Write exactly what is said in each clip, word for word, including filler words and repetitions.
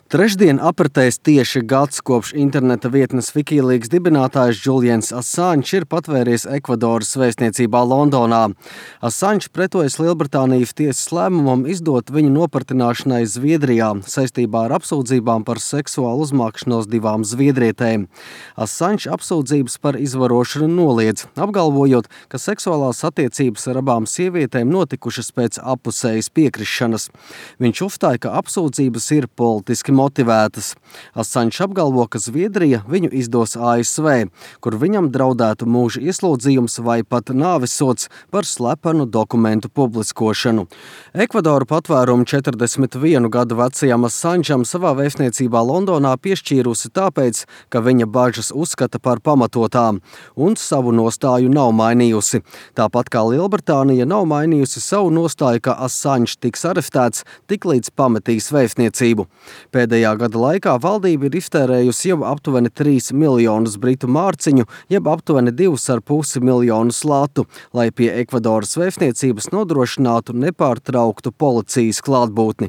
Trešdien apritēs tieši gads kopš interneta vietnes Wikileaks dibinātājs Julians Assange ir patvēries Ekvadoras vēstniecībā Londonā. Assange pretojas Lielbritānijas tiesas lēmumam izdot viņu nopratināšanai Zviedrijā saistībā ar apsūdzībām par seksuālu uzmākšanos divām zviedrietēm. Assange apsūdzības par izvarošanu noliedz, apgalvojot, ka seksuālās attiecības ar abām sievietēm notikušas pēc appusējas piekrišanas. Viņš uzstāja, ka apsūdzības ir politiski motivētas. Assange apgalvo, ka Zviedrija viņu izdos A S V, kur viņam draudētu mūža ieslodzījums vai pat nāvisods par slepenu dokumentu publiskošanu. Ekvadoru patvērumu četrdesmit vienu gadu vecajam Assangeam savā vēstniecībā Londonā piešķīrusi tāpēc, ka viņa bažas uzskata par pamatotām un savu nostāju nav mainījusi. Tāpat kā Lielbritānija nav mainījusi savu nostāju, ka Assange tiks arestēts tiklīdz pametīs vēstniecību. Pēdējā gada laikā valdība ir iztērējusi jau aptuveni trīs miljonus britu mārciņu, jeb aptuveni divus ar pusi miljonus latu, lai pie Ekvadoras vēstniecības nodrošinātu nepārtrauktu policijas klātbūtni.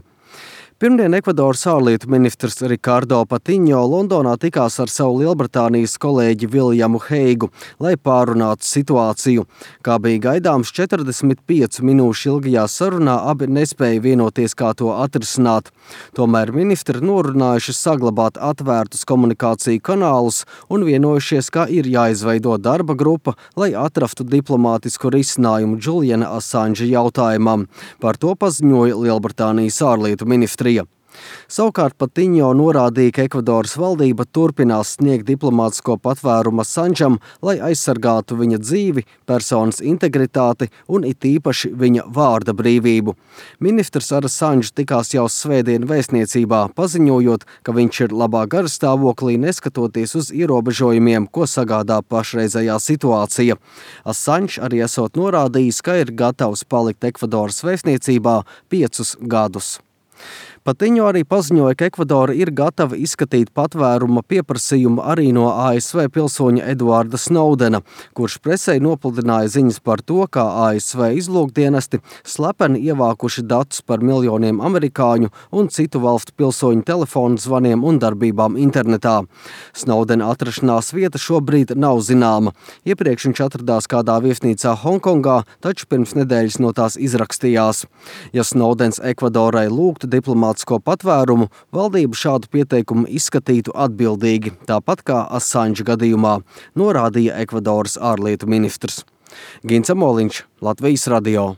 Pirmdien Ekvadoras ārlietu ministrs Ricardo Patiņo Londonā tikās ar savu Lielbritānijas kolēģi Viljamu Heigu, lai pārunātu situāciju. Kā bija gaidāms, četrdesmit piecu minūšu ilgajā sarunā abi nespēja vienoties, kā to atrisināt. Tomēr ministri norunājuši saglabāt atvērtus komunikāciju kanālus un vienojušies, ka ir jāizveido darba grupa, lai atrastu diplomātisku risinājumu Juliana Assange jautājumam. Par to paziņoja Lielbritānijas ārlietu ministri. Savukārt Patiņo norādīja, ka Ekvadoras valdība turpinās sniegt diplomātisko patvērumu Assangeam, lai aizsargātu viņa dzīvi, personas integritāti un it īpaši viņa vārda brīvību. Ministrs ar Assange tikās jau svētdien vēstniecībā, paziņojot, ka viņš ir labā garastāvoklī, neskatoties uz ierobežojumiem, ko sagādā pašreizējā situācija. Assange arī esot norādījis, ka ir gatavs palikt Ekvadoras vēstniecībā piecus gadus. Patiņo arī paziņoja, ka Ekvadora ir gatava izskatīt patvēruma pieprasījumu arī no A S V pilsoņa Edvarda Snowdena, kurš presei nopludināja ziņas par to, kā A S V izlūkdienesti slepeni ievākuši datus par miljoniem amerikāņu un citu valstu pilsoņu telefonu zvaniem un darbībām internetā. Snowdena atrašanās vieta šobrīd nav zināma. Iepriekš viņš atradās kādā viesnīcā Hongkongā, taču pirms nedēļas no tās izrakstījās. Ja Snowdens Ekvadorai lūgtu diplomātisko patvērumu, valdība šādu pieteikumu izskatītu atbildīgi, tāpat kā Assange gadījumā, norādīja Ekvadoras ārlietu ministrs. Gins Amoliņš, Latvijas radio.